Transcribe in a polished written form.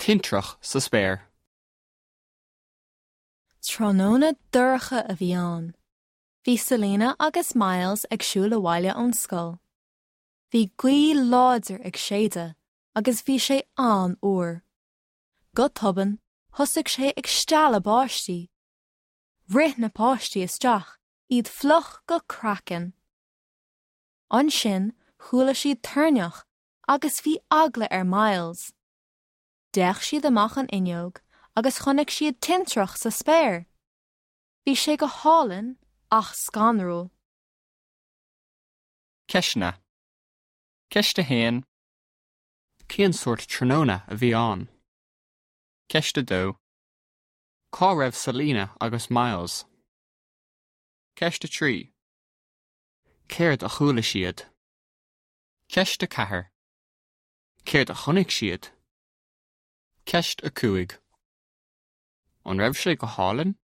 Tintreach sa spéir. Tráthnóna dorcha a bhí ann. Bhí Selina agus Myles ag siúl abhaile ón scoil. Bhí gaoth láidir ag séideadh agus bhí sé an-fhuar. Go tobann, thosaigh sé ag stealladh báistí. Rith na páistí isteach, iad fliuch go craiceann. Ansin chuala siad toirneach agus bhí eagla ar Myles. D'fhéach siad amach an fhuinneog agus chonaic siad tintreach sa spéir. Bhí sé go hálainn ach scanrúil. Ceisteanna. Ceist 1. Cén sórt tráthnóna a bhí ann? Ceist 2. Cá raibh Selina agus Myles? Ceist 3. Céard a chuala siad? Ceist 4. Céard a chonaic siad? Ceist 5. An raibh sé go hálainn?